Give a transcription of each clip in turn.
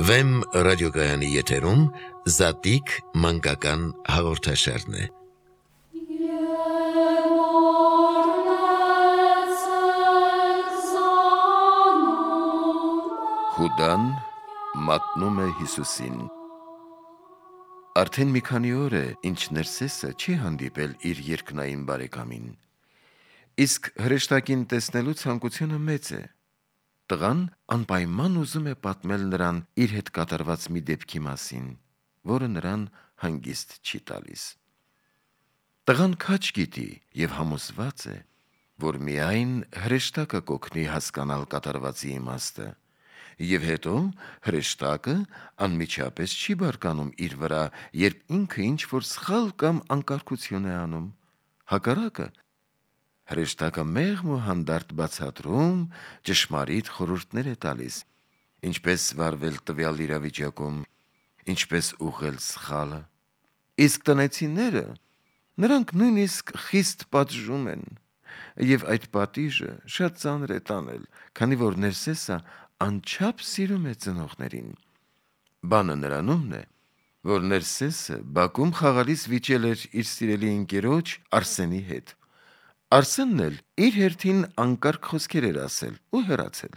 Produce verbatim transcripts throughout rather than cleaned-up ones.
Վեմ ռադիոգայանի եթերում Զատիկ մանկական հաղորդաշարն է։ Հուդան մատնում է Հիսուսին։ Արդեն մի քանի օր է, ինչ Ներսեսը չի հանդիպել իր երկնային բարեկամին, իսկ հրեշտակին տեսնելու ցանկությունը մեծ է։ Տղան անպայման ուզում է պատմել նրան իր հետ կատարված մի դեպքի մասին, որը նրան հանգիստ չի տալիս։ Տղան քաջ գիտի և համոզված է, որ միայն հրեշտակը կօգնի հասկանալ կատարվածի իմաստը, և հետո հրեշտակը անմիջապես չի բարկանում իր վրա, երբ ինքը ինչ-որ սխալ կամ անկարգություն է անում։ Հակառակը, հրեշտակը մեղմ ու հանդարտ բացատրում, ճշմարիտ խորհուրդներ է տալիս, ինչպես վարվել տվյալ իրավիճակում, ինչպես ուղղել սխալը։ Իսկ տնեցիները, նրանք նույնիսկ խիստ պատժում են, և այդ պատիժը շատ ծանր է տանել, քանի որ Ներսեսը անչափ սիրում է ծնողներին։ Բանը նրանումն է, որ Ներսեսը բակում խաղալիս վիճել էր իր սիրելի ընկերոջ Արսենի հետ։ Արսենն էլ իր հերթին անկարգ խոսքեր էր ասել ու հեռացել։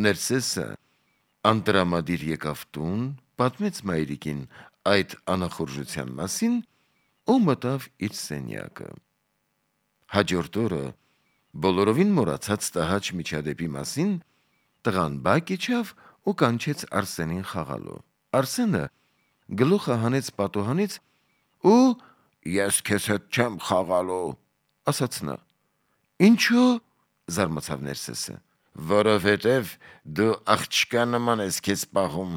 Ներսեսը անտրամադիր եկավ տուն, պատմեց մայրիկին այդ անախորժության մասին ու մտավ իր սենյակը։ Հաջորդ օրը, բոլորովին մոռացած տհաճ միջադեպի մասին, տղան բակ իջավ ու կանչեց Արսենին խաղալու։ Արսենը գլուխը հանեց պատուհանից ու «Ես քեզ հետ չեմ խաղալու», ասաց նա։ «Ինչո՞ւ», զարմացավ Ներսեսը։ «Որովհետև դու աղջկա նման ես քեզ պահում,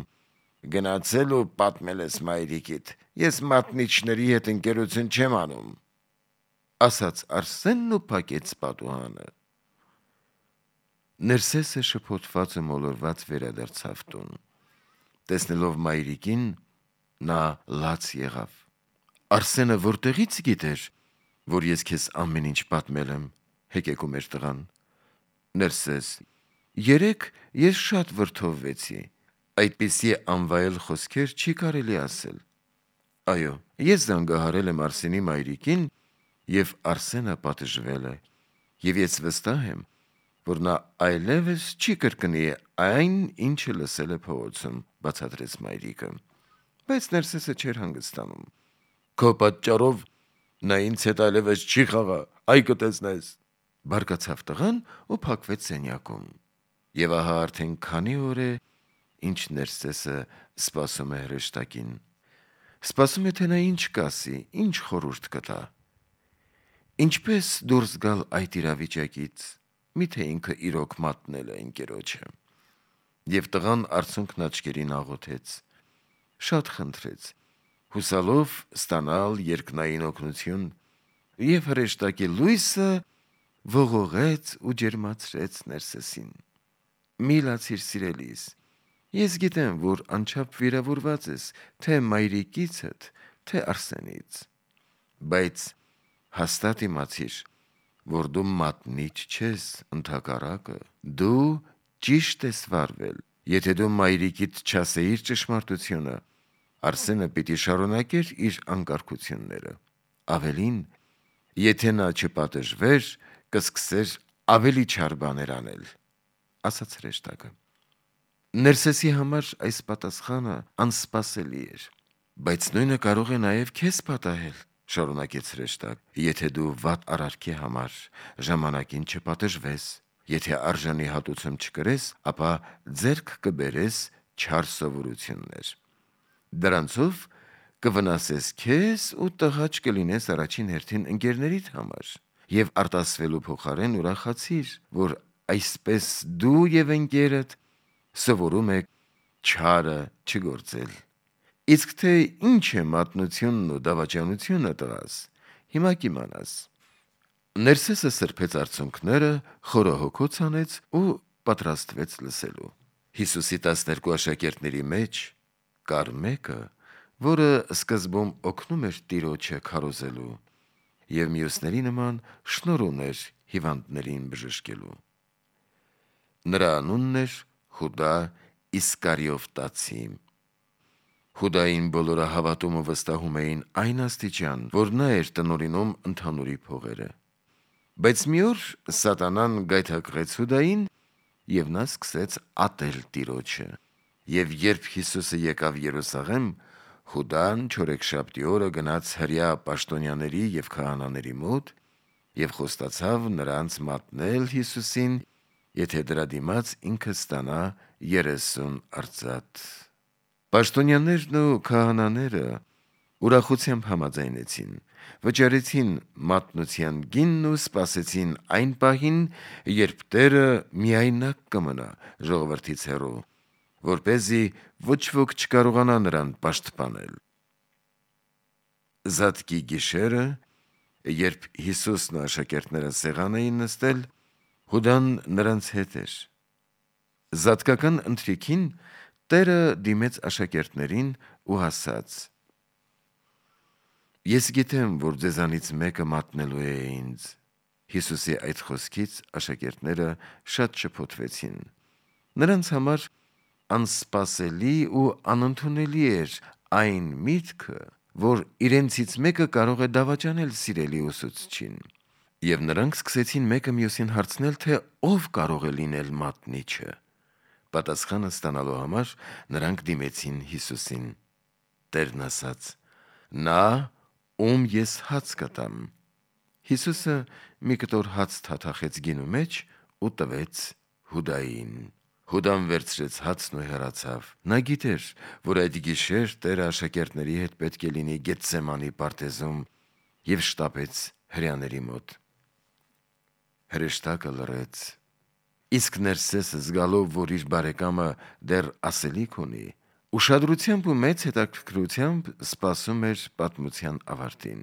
գնացել ու պատմել ես մայրիկիդ, ես մատնիչների հետ ընկերություն չեմ անում», ասաց Արսենն ու փակեց պատուհանը։ Ներսեսը շփոթված ու մոլորված վերադարձավ տուն։ Տեսնելով մայրիկին, նա լաց եղավ։ «Արսենը որտեղի՞ց գիտեր, որ ես քեզ ամեն ինչ պատմել եմ», հեկեկում էր տղան։ Ներսես. «Երեկ ես շատ վրդովվեցի, այդպիսի անվայել խոսքեր չի կարելի ասել։ Այո, ես զանգահարել եմ Արսենի մայրիկին, և Արսենը պատժվել է, և ես վստահ եմ, որ նա այլևս չի կրկնի այն, ինչը լսել է փողոցում», բացատրեց մայրիկը։ Բայց Ներսեսը չէր հանգստանում։ «Քո պատճառով նա ինձ հետ այլևս չի խաղա, այ կտեսնես», բարկացավ տղան ու փակվեց սենյակում։ Եվ ահա արդեն քանի օր է, ինչ Ներսեսը սպասում է հրեշտակին։ Սպասում է, թե նա ինչ կասի, ինչ խորհուրդ կտա։ Ինչպե՞ս դուրս գալ այդ իրավիճակից, միթե ինքը իրոք մատնել է ընկերոջը։ Եվ տղան արցունքն աչքերին աղոթեց, շատ խնդրեց, հուսալով ստանալ երկնային օգնություն, և հրեշտակի լույսը ողողեց ու ջերմացրեց Ներսեսին։ «Մի լացիր, սիրելիս, ես գիտեմ, որ անչափ վիրավորված ես թե մայրիկիցդ, թե Արսենից, բայց հաստատ իմացիր, որ դու մատնիչ չես, ընդհակառակը, դու ճիշտ ես վարվել։ Եթե դու մայրիկիդ չասեիր ճշմարտությունը, Արսենը պիտի շարունակեր իր անկարգությունները։ Ավելին, եթե նա չպատժվեր, կսկսեր ավելի չար բաներ անել», ասաց հրեշտակը։ Ներսեսի համար այս պատասխանը անսպասելի էր։ «Բայց նույնը կարող է նաև քեզ պատահել», շարունակեց հրեշտակը, «եթե դու վատ արարքի համար ժամանակին չպատժվես, եթե արժանի հատուցում չկրես, ապա ձեռք կբերես չար սովորություններ։ Դրանցով կվնասես քեզ ու տհաճ կլինես առաջին հերթին ընկերներիդ համար, և արտասվելու փոխարեն ուրախացիր, որ այսպես դու և ընկերդ սովորում եք չարը չգործել։ Իսկ թե ինչ է մատնությունն ու դավաճանությունը, տղաս, հիմա կիմանաս»։ Ներսեսը սրբեց արցունքները, խորահոգոց անեց ու պատրաստվեց լսելու։ Հիսուսի տասներկու աշակերտների մեջ կար մեկը, որը սկզբում օգնում էր Տիրոջը քարոզելու և մյուսների նման շնորհ ուներ հիվանդներին բժշկելու։ Նրա անունն էր Հուդա Իսկարիովտացի։ Հուդային բոլորը հավատում ու վստահում էին այն աստիճան, որ նա էր տնօրինում ընդհանուրի փողերը։ Բայց մի օր սատանան գայթակղեց Հուդային, եւ նա սկսեց ատել Տիրոջը։ Եվ երբ Հիսուսը եկավ Երուսաղեմ, Հուդան չորեքշաբթի օրը գնաց հրյա պաշտոնյաների եւ քահանաների մոտ եւ խոստացավ նրանց մատնել Հիսուսին, եթե դրա դիմաց ինքը ստանա երեսուն արծաթ։ Պաշտոնյաներն ու քահանաները ուրախությամբ համաձայնեցին, վճարեցին մատնության գինն ու սպասեցին այն պահին, երբ Տերը միայնակ կմնա ժողովրդից հեռու, որպեսզի ոչ ոք չկարողանա նրան պաշտպանել։ Զատկի գիշերը, երբ Հիսուսն ու աշակերտները սեղան էին նստել, Հուդան նրանց հետ էր։ Զատկական ընթրիքին Տերը դիմեց աշակերտներին ու ասաց. «Ես գիտեմ, որ ձեզանից մեկը մատնելու է ինձ»։ Հիսուսի այդ խոսքից աշակերտները շատ շփոթվեցին։ Նրանց համար անսպասելի ու անընդունելի էր այն միտքը, որ իրենցից մեկը կարող է դավաճանել սիրելի ուսուցչին։ Եվ նրանք սկսեցին մեկը մյուսին հարցնել, թե ով կարող է լինել մատնիչը։ Պատասխանը ստանալու համար նրանք դիմեցին Հիսուսին։ Տերն ասաց. «Նա, ում ես հաց կտամ»։ Հիսուսը մի կտոր հաց թաթախեց գինու մեջ ու տվեց Հուդային։ Հուդան վերցրեց հացն ու հեռացավ։ Նա գիտեր, որ այդ գիշեր Տերը աշակերտների հետ պետք է լինի Գեթսեմանի պարտեզում, եւ շտապեց հրեաների մոտ։ Հրեշտակը լռեց։ Իսկ Ներսեսը, զգալով, որ իր բարեկամը դեռ ասելիք ունի, ուշադրությամբ ու մեծ հետաքրքրությամբ սպասում էր պատմության ավարտին։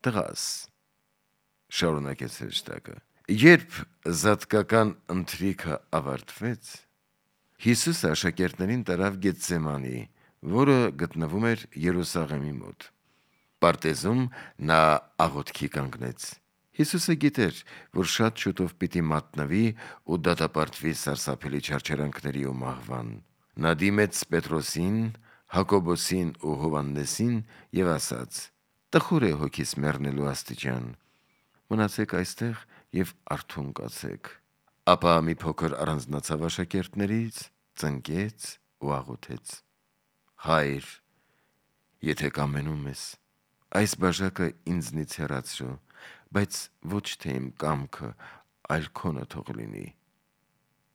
«Տղաս», շարունակեց հրեշտակը, երբ զատկական ընթրիքը ավարտվեց, Հիսուսը աշակերտներին տարավ Գեթսեմանի, որը գտնվում էր Երուսաղեմի մոտ։ Պարտեզում նա աղոթքի կանգնեց։ Հիսուսը գիտեր, որ շատ շուտով պիտի մատնվի ու դատապարտվի սարսափելի չարչարանքների ու մահվան։ Նա դիմեց Պետրոսին, Հակոբոսին ու Հովհաննեսին եւ ասաց. «Տխուր է հոգիս մեռնելու աստիճան, մնացեք այստեղ եւ արթուն կացեք»։ Ապա մի փոքր առանձնացավ աշակերտներից, ծնկեց ու աղոթեց. «Հայր, եթե կամենում ես, այս բաժակը ինձնից հեռացրու, բայց ոչ թե իմ կամքը, այլ քոնը թող լինի»։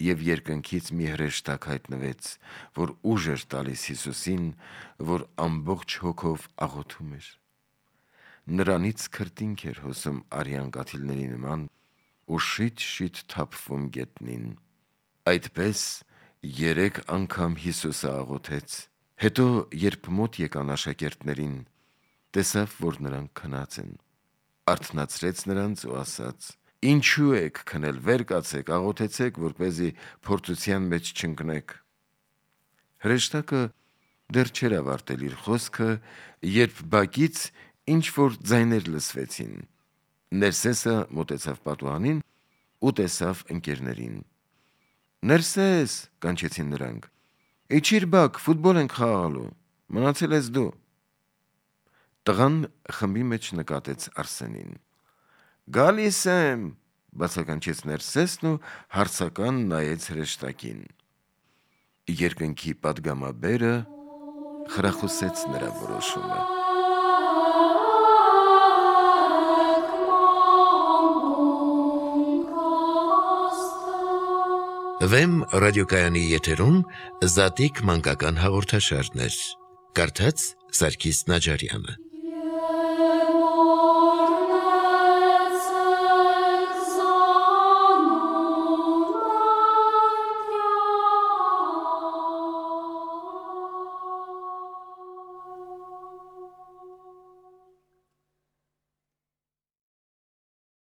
Եվ երկնքից մի հրեշտակ հայտնվեց, որ ուժ էր տալիս Հիսուսին, որ ամբողջ հոգով աղոթում էր։ Նրանից քրտինք էր հոսում արյան կաթիլների նման ու շիթ-շիթ թափվում գետնին։ Այդպես երեք անգամ Հիսուսը աղոթեց։ Հետո, երբ մոտ եկան աշակերտներին, տեսավ, որ նրանք քնած են։ Արթնացրեց նրանց ու ասաց. «Ինչու եք քնել, վեր կացեք, աղոթեցեք, որպեսզի փորձության մեջ չընկնեք»։ Հրեշտակը դեռ չէր ավարտել իր խոսքը, երբ բակից ինչ-որ ձայներ լսվեցին։ Ներսեսը մոտեցավ պատուհանին ու տեսավ ընկերներին։ «Ներսես», կանչեցին նրանք, «Իջիր բակ, ֆուտբոլ ենք խաղալու, մնացել ես դու»։ Տղան խմբի մեջ նկատեց Արսենին։ «Գալիս եմ», բացականչեց Ներսեսն ու հարցական նայեց հրեշտակին։ Երկնքի պատգամաբերը խրախուսեց նրա որոշումը։ Վեմ ռադիոկայանի եթերում Զատիկ մանկական հաղորդաշարներ։ Կարդաց Սարգիս Նաջարյանը։